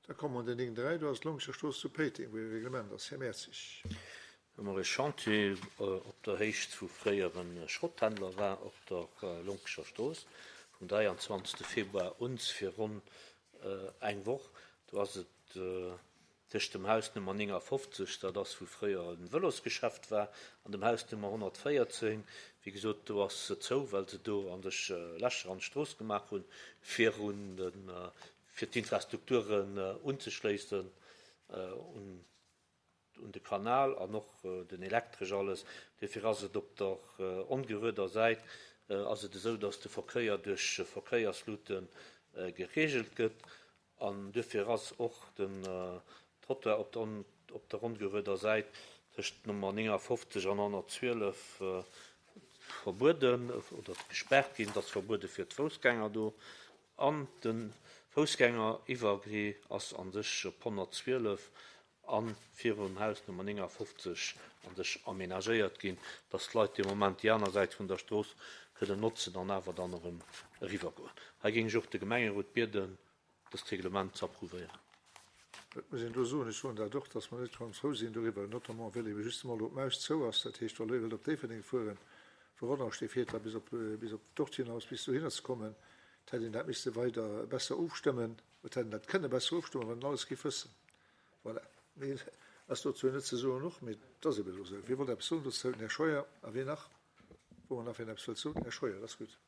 Da komme mer un den 9.3, do ass d'Longscher Strooss zu Péiteng, wou e Reglement ass. Här Mertzig. Hu mer e Chantier op der Héicht wou fréier e Schrotthändler war, op der Lonkescher Strooss, vum 23. Februar un fir ronn eng Woch. Do ass et tëscht dem Haus Nummer 59, dat ass wou fréier e Vëlosgeschäft war, an dem Haus Nummer 114. Wéi gesot, do ass se zou, well se do an sech Lächer an d'Strooss gemaach hunn, fir un de, fir d'Infrastrukturen unzeschléissen un un de Kanal an och den Elektresch alles. Duerfir ass et op der ongerueder Säit ass et esou, dass de Verkéier duerch Verkéierslute geregelt gëtt an duerfir ass och den Trottoir op der op der ongerueder Säit tëscht Nummer 59 an 112 verbueden oder gespaart ginn. Et ass verbuede fir d'Foussgänger do an de Foussgängeriwwergee ass a sech op 112 a virum Haus Nummer 59 an sech aménagéiert ginn, dass d'Leit dee Moment déi aner Säit vun der Strooss kënnen notzen an awer dann erëm eriwwergoen. Hei géing ech och de Gemengerot bieden, dëst Reglement ze approuvéieren. Et muss een do soen, ech soen dat och, dass mer net ganz frou sinn doriwwer, notamment well ebe justement elo d'Maus zou ass. Dat heescht, wa Leit wëllt op Déifferdeng fueren, vu Rodange, dee fiert da bis op, bis op dort hinaus, bis dohinner ze kommen. Et hätt een dat misste weider besser ofstëmmen. Et hätt een dat kënne besser ofstëmmen, wann een alles géif wëssen. Voilà. Méi ass dozou net ze soen och, mee et ass eben elo esou. Wie wollt eppes soen dozou? Den Här Scheuer. A wien nach? Wou mer nach wien eppes wëllt soen? Här Scheuer, dat ass gutt.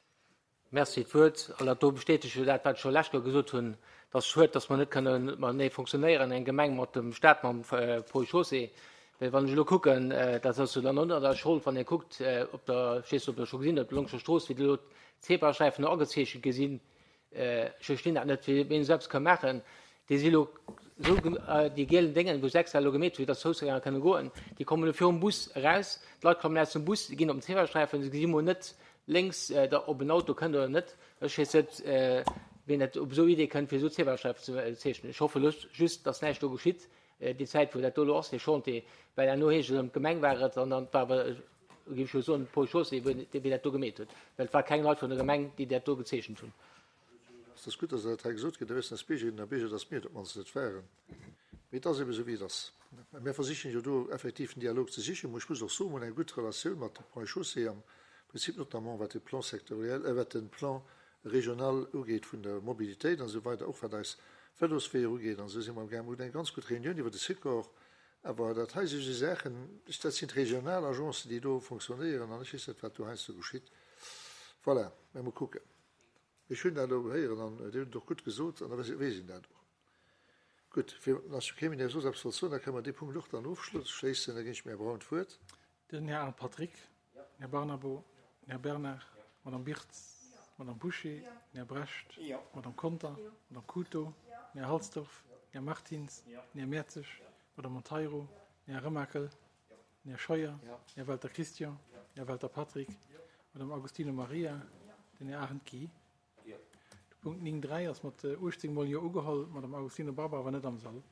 Merci d'Wuert. An dat do bestätegt jo dat, wat ech scho lescht Joer gesot hunn, dass schued, dass mer net kënne matenee fonctionnéieren, eng Gemeng mat dem Stat, mam Ponts et Chaussées. Well wann ech elo kucken, dat ass jo dann och net eis Schold, wann ee kuckt op der, ech weess net, ob Der scho gesinn hutt, op der Longscher Strooss, wéi do elo d'Zebrasträifen do agezeechent gi sinn, Ech verstinn dat net, wéi een esou eppes ka maachen. Déi si elo esou, déi gielen Déngen, wou se extra elo gemeet hu fir datt d'Foussgänger kënne goen, déi kommen elo virum Bus eraus. D'Leit kommen aus dem Bus, ginn op den Zebrasträifen, se gesi mol net lénks, ob en Auto kënnt oder net. Ech weess net, wien dat op esou Idee kënnt, fir esou Zebrasträifen ze zeechnen. Ech hoffe elo just, datt näischt do geschitt déi Zäit, wou dat do elo ass, dee Chantier, well herno heescht et erëm, d'Gemeng war et an dann war awer, géif ech jo soen, de Paul Chaussé, wou dee dat do gemeet huet, well et war keng Leit vun der Gemeng, déi dat do gezeechent hunn. Et ass gutt, dass dat hei gesot gëtt. Da wëssen eis Biergerinnen a Bierger, dass mir et op d'mannst net waren. Mee et ass ebe sou, wéi et ass. A mir versichen jo do effektiv den Dialog ze sichen. Ech muss och soen, mir hunn eng gutt Relatioun mat de Ponts et Chaussées am Prinzip, notamment wat de Plan sectoriel, wat de Plan régional ugeet vun der Mobilitéit an esou weider, och wat eis Vëlosweeër ugeet an esou si mer amgaang. Mir hunn eng ganz gutt Reunioun iwwer de Sikor. Awer dat hei si sou Saachen, dat sinn d'regional Agencen, déi do fonctionnéieren an ech weess net, wat do heiansdo geschitt. Voilà, mä mol kucken. Ech hunn dat elo héieren an Dir hutt et och gutt gesot an da weess een dat och. Gutt, fir ass jo kee méi, dee soss eppes wollt soen, da kënne mer dee Punkt och dann ofschléissen. Da ginn ech dem Här Braun d'Wuert. Den Här Arndt Patrick, den Här Barnabo, den Här Bernard, d'Madame Birtz, d'Madame Bouché, den Här Brecht, d'Madame Conter, d'Madame Cooto, den Här Halsdorf, den Här Martins, den Här Mertzig, d'Madame Monteiro, den Här Remakel, den Här Scheuer, den Här Welter Christian, den Här Welter Patrick, d'Madame Agostino Maria, den Här Arendt Guy. De Punkt 9.3 ass mat 18 mol Jo ugeholl, d'Madame Agostino Barbara war net am Sall.